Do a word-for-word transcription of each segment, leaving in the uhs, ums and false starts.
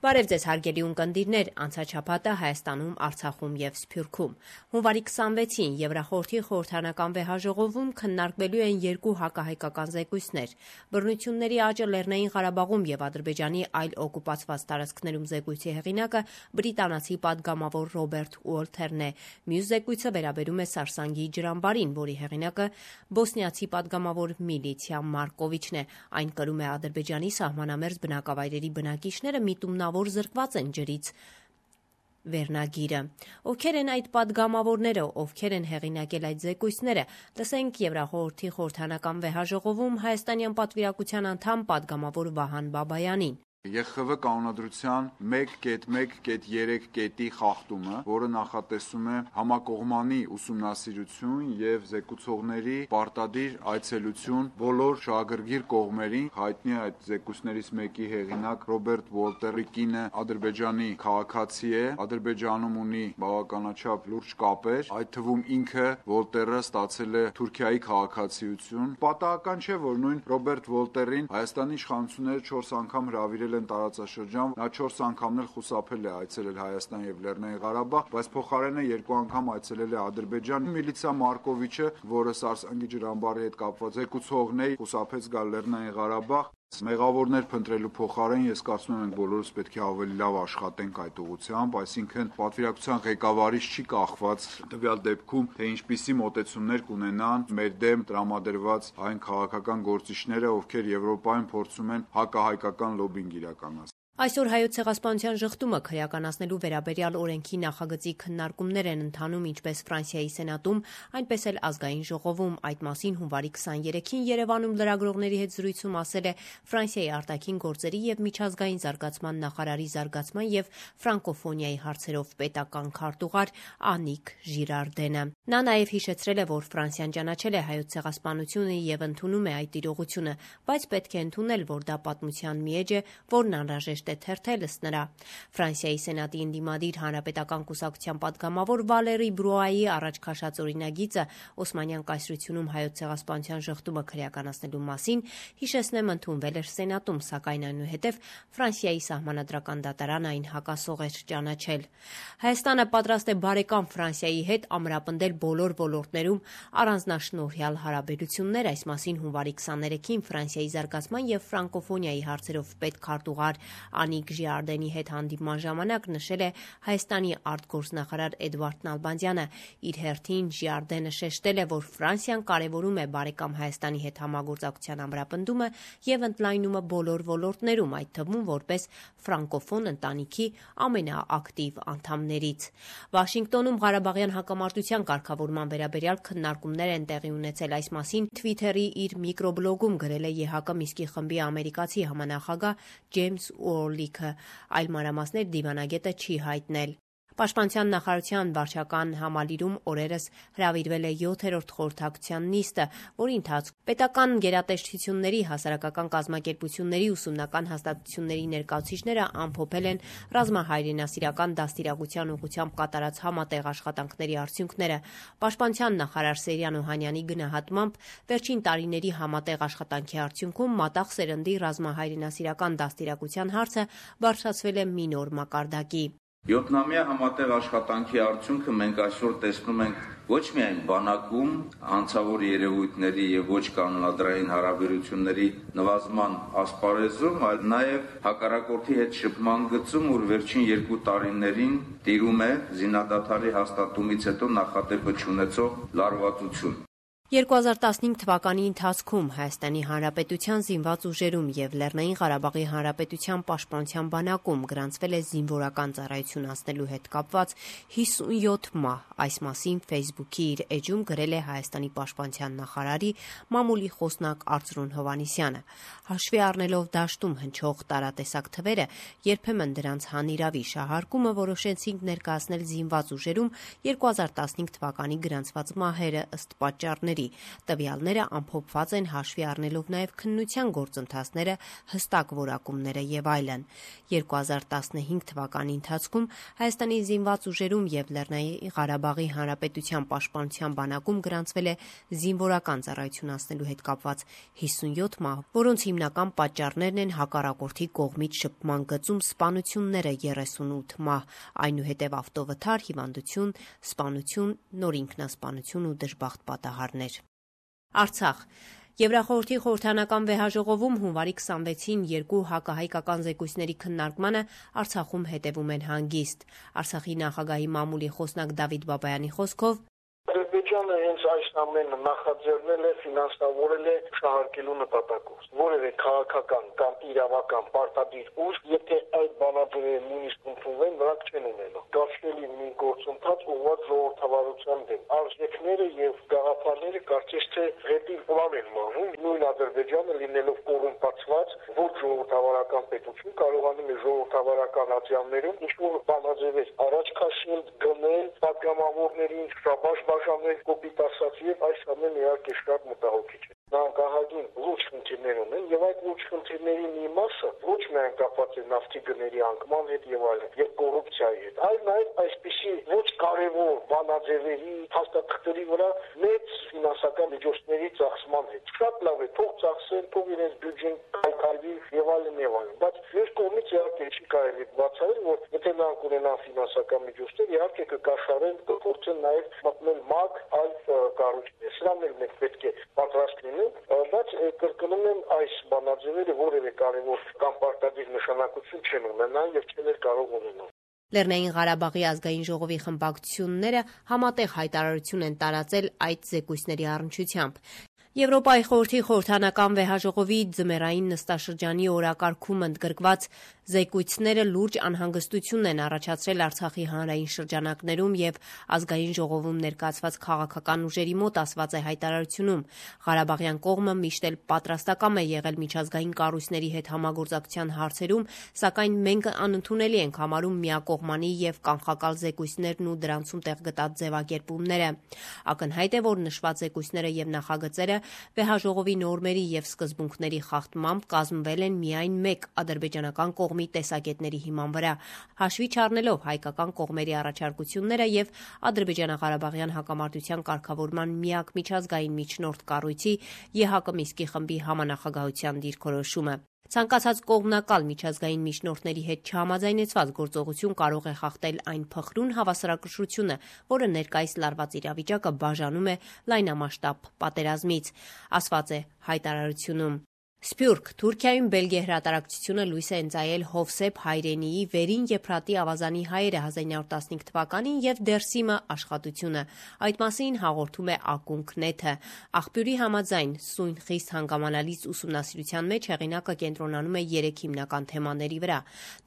Բարև ձեզ հարգելի ունկնդիրներ, անցաչափատը Հայաստանում, Արցախում եւ Սփյուռքում։ Հունվարի քսանվեցին Եվրախորհրդի խորհրդանական վեհաժողովում քննարկվելու են երկու հակահայկական զեկույցներ՝ բռնությունների աճը Լեռնային Ղարաբաղում եւ Ադրբեջանի այլ օկուպացված տարածքներում զեկույցի հեղինակը բրիտանացի պատգամավոր Ռոբերտ Ուոլթերն է։ Մյուս զեկույցը վերաբերում է Սարսանգի ջրամբարին, որի հեղինակը բոսնիացի պատգամավոր Միլիցիա Մարկովիչն է։ Այն կրում է Ադրբեջանի սահմանամերձ բնակավայրերի բնակիչները միտումնավոր որ զրկված են ջրից վերնագիրը։ Ովքեր են այդ պատգամավորները, ովքեր են հեղինակել այդ զեկույցները, լսենք Եվրախորհրդի խորհրդանական վեհաժողովում հայաստանյան պատվիրակության անդամ պատգամավոր Վահան Բաբայանին։ Ե Խ V կանոնադրության մեկ կետ մեկ կետ երեք կետի խախտումը, որը նախատեսում է համակողմանի ուսումնասիրություն եւ զեկուցողների պարտադիր այցելություն բոլոր շահագրգիռ կողմերին։ Հայտնի է այդ զեկույցներից մեկի հեղինակ Ռոբերտ Ուոլտերի կինը Ադրբեջանի քաղաքացի է, Ադրբեջանում ունի բավականաչափ լուրջ կապեր, այդ թվում ինքը Ուոլտերը ստացել է Թուրքիայի քաղաքացիություն։ Պատահական չէ, որ նույն Ռոբերտ Ուոլտերին Հայաստանի իշխանությունները չորս անգամ հրավիրել են տարածաշրջան, նա չորս անգամն էլ խուսափել է այցելել Հայաստան եւ Լեռնային Ղարաբաղ, բայց փոխարենը երկու անգամ այցելել է Ադրբեջան։ Միլիցիա Մարկովիչը, որը Սարսանգի ջրամբարի հետ կապված զեկուցողն է, խուսափեց գալ Լեռնային Ղարաբաղ։ Մեղավորներ փնտրելու փոխարեն ես կարծում եմ մենք բոլորս պետք է ավելի լավ աշխատենք այդ ուղղությամբ, այսինքն պատվիրակության ղեկավարից չի կախված տվյալ դեպքում, թե ինչպիսի մոտեցումներ կունենան մեր դեմ տրամադրված այն քաղաքական գործիչները, ովքեր Եվրոպայում փորձում են հակահայկական լոբինգ իրականացնել։ Այսօր Հայոց ցեղասպանության ժխտումը քրեականացնելու վերաբերյալ օրենքի նախագծի քննարկումներ են ընթանում ինչպես Ֆրանսիայի Սենատում, այնպես էլ Ազգային ժողովում։ Այդ մասին հունվարի քսաներեքին Երևանում լրագրողների հետ զրույցում ասել է Ֆրանսիայի արտաքին գործերի եւ միջազգային զարգացման նախարարի զարգացման եւ ֆրանկոֆոնիայի հարցերով պետական քարտուղար Անիկ Ժիրարդենը։ Նա նաեւ հիշեցրել է, որ Ֆրանսիան ճանաչել է Հայոց ցեղասպանությունը եւ ընդունում է այդ իրողությունը, բայց պետք է ընդունել, որ դա պատմության մի էջ է, որն անհրաժեշտ է թերթել ըստ նրա։ Ֆրանսիայի Սենատի ընդդիմադիր հանրապետական կուսակցության պատգամավոր Վալերի Բրուայի առաջ քաշած օրինագիծը Օսմանյան կայսրությունում Հայոց ցեղասպանության ժխտումը քրեականացնելու մասին, հիշեցնեմ, ընդունվել էր Սենատում, սակայն այնուհետև Ֆրանսիայի սահմանադրական դատարանը այն հակասող էր ճանաչել։ Հայաստանը պատրաստ է բարեկամ Ֆրանսիայի հետ ամրապնդել բոլոր ոլորտներում առանձնաշնորհյալ հարաբերություններ, այս մասին հունվարի քսաներեքին Ֆրանսիայի զարգացման եւ ֆրանկոֆոնիայի հարցերով պետքարտուղար Անիկ Ժիրարդենի հետ հանդիպման ժամանակ նշել է Հայաստանի արտգործնախարար Էդվարդ Նալբանդյանը։ Իր հերթին Ժիրարդենը շեշտել է, որ Ֆրանսիան կարևորում է բարեկամ Հայաստանի հետ համագործակցության ամրապնդումը եւ ընդլայնումը բոլոր ոլորտներում, այդ թվում որպես ֆրանկոֆոն ընտանիքի ամենաակտիվ անդամներից։ Վաշինգտոնում Ղարաբաղյան հակամարտության կարգավորման վերաբերյալ քննարկումներ են տեղի ունեցել։ Այս մասին Թվիթերի իր միկրոբլոգում գրել է Ե Հ Կ Միսկի խմբի ամերիկացի համանախագահ Ջեյմս Ուորլիքը, այլ մանրամասներ դիվանագետը չի հայտնել։ Պաշտպանության նախարարության վարչական համալիրում օրերս հրավիրվել է յոթերորդ խորհրդակցության նիստը, որի ընթացքում պետական գերատեսչությունների, հասարակական կազմակերպությունների, ուսումնական հաստատությունների ներկայացուցիչները ամփոփել են ռազմահայրենասիրական դաստիարակության ուղղությամբ կատարած համատեղ աշխատանքների արդյունքները։ Պաշտպանության նախարար Սերյան Օհանյանի գնահատմամբ վերջին տարիների համատեղ աշխատանքի արդյունքում մատաղ սերնդի ռազմահայրենասիրական դաստիարակության հարցը բարձրացվել է մի նոր մակարդակի։ Յոթնամյա համատեղ աշխատանքի արդյունքը մենք այսօր տեսնում ենք ոչ միայն բանակում անցավոր երևույթների եւ ոչ կանոնադրային հարաբերությունների նվազման ասպարեզում, այլ նաեւ հակառակորդի հետ շփման գծում, որ վերջին երկու տարիներին տիրում է զինադադարի հաստատումից հետո նախատեպը չունեցող լարվածություն։ երկու հազար տասնհինգ թվականի ընթացքում Հայաստանի Հանրապետության զինված ուժերում եւ Լեռնային Ղարաբաղի Հանրապետության պաշտպանության բանակում գրանցվել է զինվորական ծառայություն անցնելու հետ կապված հիսունյոթ մահ։ Այս մասին Facebook-ի իր էջում գրել է Հայաստանի պաշտպանության նախարարի մամուլի խոսնակ Արծրուն Հովհաննիսյանը։ Հաշվի առնելով դաշտում հնչող տարատեսակ թվերը, երբեմն դրանց հանիրավի շահարկումը որոշեցինք ներկայացնել զինված ուժերում երկու հազար տասնհինգ թվականի գրանցված մահերը ըստ պատճառների։ գումարների։ Տվյալները ամփոփված են հաշվի առնելով նաև քննության գործընթացները, հստակ որակումները եւ այլն։ երկու հազար տասնհինգ թվականի ընթացքում Հայաստանի զինված ուժերում եւ Լեռնային Ղարաբաղի Հանրապետության պաշտպանության բանակում գրանցվել է զինվորական ծառայությունացնելու հետ կապված հիսունյոթ մահ, որոնց հիմնական պատճառներն են հակառակորդի կողմից շփման գծում սպանությունները երեսունութ մահ, այնուհետև ավտովթար, հիվանդություն, սպանություն, նոր ինքնասպանություն ու դժբախտ պատահարներ։ Արցախ Եվրախորհրդի խորհրդանական վեհաժողովում հունվարի քսանվեցին երկու հակահայկական զեկույցների քննարկմանը Արցախում հետևում են հանգիստ։ Արցախի նախագահի մամուլի խոսնակ Դավիթ Բաբայանի խոսքով Ադրբեջանը հենց այս ամենը նախաձեռնել է, ֆինանսավորել է շահարկելու նպատակով։ Որևէ քաղաքական կամ իրավական պարտադիր ուժ, եթե այդ բանաձևերը նույնիսկ ընդունվեն, նրանք չեն ունենա։ Գարշելի մի գործընթաց ուղղված ժողովրդավարության դեմ։ Արժեքները եւ գաղափարները կարծես թե հետի պլան են մաղում։ Նույն Ադրբեջանը լինելով կոռումպացված, ոչ ժողովրդավարական պետություն, կարողանում է ժողովրդավարական ատյաններում ինչ-որ բանաձևեր առաջ քաշել, գնել պատգամավորներին, շաբաշ բաժանել, կոպիտ ասած, եւ այս ամենը իհարկե շատ մտահոգիչ է։ Նրանք ահագին լուրջ խնդիրներ ունեն եւ այդ լուրջ խնդիրների մի մասը ոչ միայն կապված է նավթի գների անկման հետ եւ այլն, եւ կոռուպցիայի հետ, այլ նաեւ այսպիսի ոչ կարեւոր բանաձևերի, հաստատքների վրա մեծ ֆինանսական միջոցների ծախսման հետ։ Շատ լավ է, թող ծախսեն, թող իրենց բյուջեն կայքարվի եւ այլն եւ այլն, բայց մեր կողմից իհարկե չի կարելի բացառել, որ եթե նրանք ունենան ֆինանսական միջոցներ, իհարկե կկաշառեն, կփորձեն նաեւ մտնել ՄԱԿ այլ կառույցներ։ Սրանն էլ մենք պետք է պատրաստ լինենք, բայց կրկնում եմ, այս բանաձևերը որևէ կարևոր կամ պարտադիր նշանակություն չեն ունենան եւ չեն էլ կարող ունենալ։ Լեռնային Ղարաբաղի ազգային ժողովի խմբակցությունները համատեղ հայտարարություն են տարածել այդ զեկույցների առնչությամբ։ Եվրոպայի խորհրդի խորհրդանական վեհաժողովի ձմեռային նստաշրջանի օրակարգում ընդգրկված զեկույցները լուրջ անհանգստություն են առաջացրել Արցախի հանրային շրջանակներում եւ ազգային ժողովում ներկայացված քաղաքական ուժերի մոտ, ասված է հայտարարությունում։ Ղարաբաղյան կողմը միշտ էլ պատրաստակամ է եղել միջազգային կառույցների հետ համագործակցության հարցերում, սակայն մենք անընդունելի ենք համարում միակողմանի եւ կանխակալ զեկույցներն ու դրանցում տեղ գտած ձևակերպումները։ Ակնհայտ է, որ նշված զեկույցները եւ նախագծերը վեհաժողովի նորմերի եւ սկզբունքների խախտմամբ կազմվել են միայն մեկ ադրբեջանական կողմի տեսակետների հիման վրա, հաշվի չառնելով հայկական կողմերի առաջարկությունները եւ ադրբեջանա-ղարաբաղյան հակամարտության կարգավորման միակ միջազգային միջնորդ կառույցի ԵՀԿ Միսկի խմբի համանախագահության դիրքորոշումը։ Ցանկացած կողմնակալ միջազգային միջնորդների հետ չհամաձայնեցված գործողություն կարող է խախտել այն փխրուն հավասարակշռությունը, որը ներկայիս լարված իրավիճակը բաժանում է լայնամասշտաբ պատերազմից, ասված է հայտարարությունում։ Սփյուռք Թուրքիայում Բելգիա հրատարակչությունը լույս է ընծայել Հովսեփ Հայրենիի Վերին Եփրատի ավազանի հայերը հազար ինը հարյուր տասնհինգ թվականին եւ Դերսիմը աշխատությունը։ Այդ մասին հաղորդում է Ակունք նեթը։ Աղբյուրի համաձայն սույն խիստ հանգամանալից ուսումնասիրության մեջ հեղինակը կենտրոնանում է երեք հիմնական թեմաների վրա։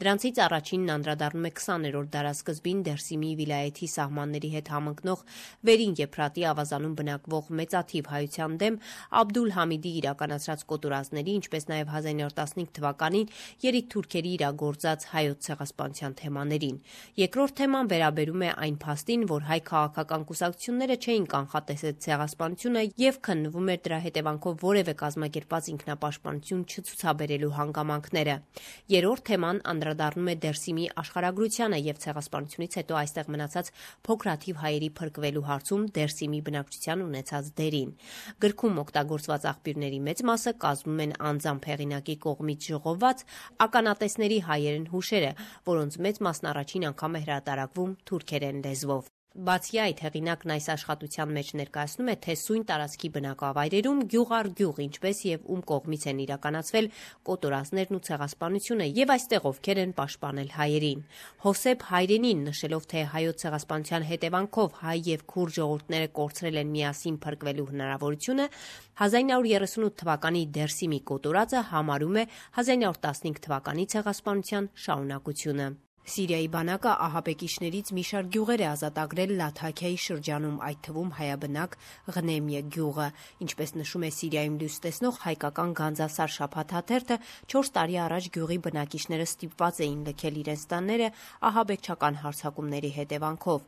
Դրանցից առաջինն անդրադառնում է քսաներորդ դարասկզբին Դերսիմի վիլայեթի սահմանների հետ համընկնող Վերին Եփրատի ավազանում բնակվող մեծաթիվ հայության դեմ Աբդուլ Համիդի իրականացրած կոտորածների, ինչպես նաև հազար ինը հարյուր տասնհինգ թվականին երիտ թուրքերի իրագործած հայոց ցեղասպանության թեմաներին։ Երկրորդ թեման վերաբերում է այն փաստին, որ հայ քաղաքական կուսակցությունները չէին կանխատեսել ցեղասպանությունը եւ քննվում էր դրա հետևանքով որևէ կազմակերպված ինքնապաշտպանություն չցուցաբերելու հանգամանքները։ Երրորդ թեման անդրադառնում է Դերսիմի աշխարհագրությանը եւ ցեղասպանությունից հետո այստեղ մնացած փոքրաթիվ հայերի փրկվելու հարցում Դերսիմի բնակչության ունեցած դերին։ Գրքում օգտագործված աղբյուրների մեծ մասը կազմում են անձամբ հեղինակի կողմից ժողոված ականատեսների հայերեն հուշերը, որոնց մեծ մասն առաջին անգամ է հրատարակվում թուրքերեն լեզվով։ Բացի այդ, հեղինակն այս աշխատության մեջ ներկայացնում է, թե սույն տարածքի բնակավայրերում գյուղ առ գյուղ, ինչպես եւ ում կողմից են իրականացվել կոտորածներն ու ցեղասպանությունը եւ այստեղ ովքեր են պաշտպանել հայերին։ Հովսեփ Հայրենին նշելով, թե հայոց ցեղասպանության հետևանքով հայ եւ քուրդ ժողովուրդները կորցրել են միասին փրկվելու հնարավորությունը, հազար ինը հարյուր երեսունութ թվականի Դերսիմի կոտորածը համարում է հազար ինը հարյուր տասնհինգ թվականի ցեղասպանության շարունակությունը։ Սիրիայի բանակը ահաբեկիչներից մի շարք գյուղեր է ազատագրել Լաթաքիայի շրջանում, այդ թվում հայաբնակ Ղնեմիե գյուղը։ Ինչպես նշում է Սիրիայում լույս տեսնող հայկական Գանձասար շաբաթաթերթը, չորս տարի առաջ գյուղի բնակիչները ստիպված էին լքել իրենց տանները ահաբեկչական հարձակումների հետևանքով։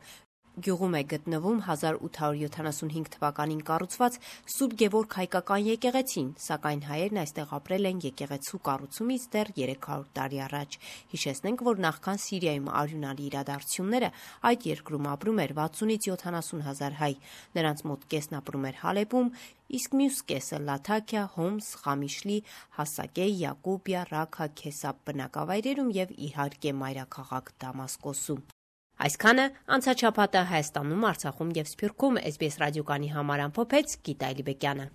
Գյուղում է գտնվում հազար ութ հարյուր յոթանասունհինգ թվականին կառուցված Սուրբ Գևորգ հայկական եկեղեցին, սակայն հայերն այստեղ ապրել են եկեղեցու կառուցումից դեռ երեք հարյուր տարի առաջ։ Հիշեցնենք, որ նախքան Սիրիայում արյունալի իրադարձությունները այդ երկրում ապրում էր վաթսունից յոթանասուն հազար հայ։ Նրանց մոտ կեսն ապրում էր Հալեպում, իսկ մյուս կեսը Լաթաքիա, Հոմս, Խամիշլի, Հասակե, Յակուբիա, Ռաքա, Քեսապ բնակավայրերում եւ իհարկե մայրաքաղաք Դամասկոսում։ Այսքանը անցաչափատը Հայաստանում, Արցախում եւ Սփյուռքում էս բի էս ռադիոկանի համար ամփոփեց Գիտա Այլիբեկյանը։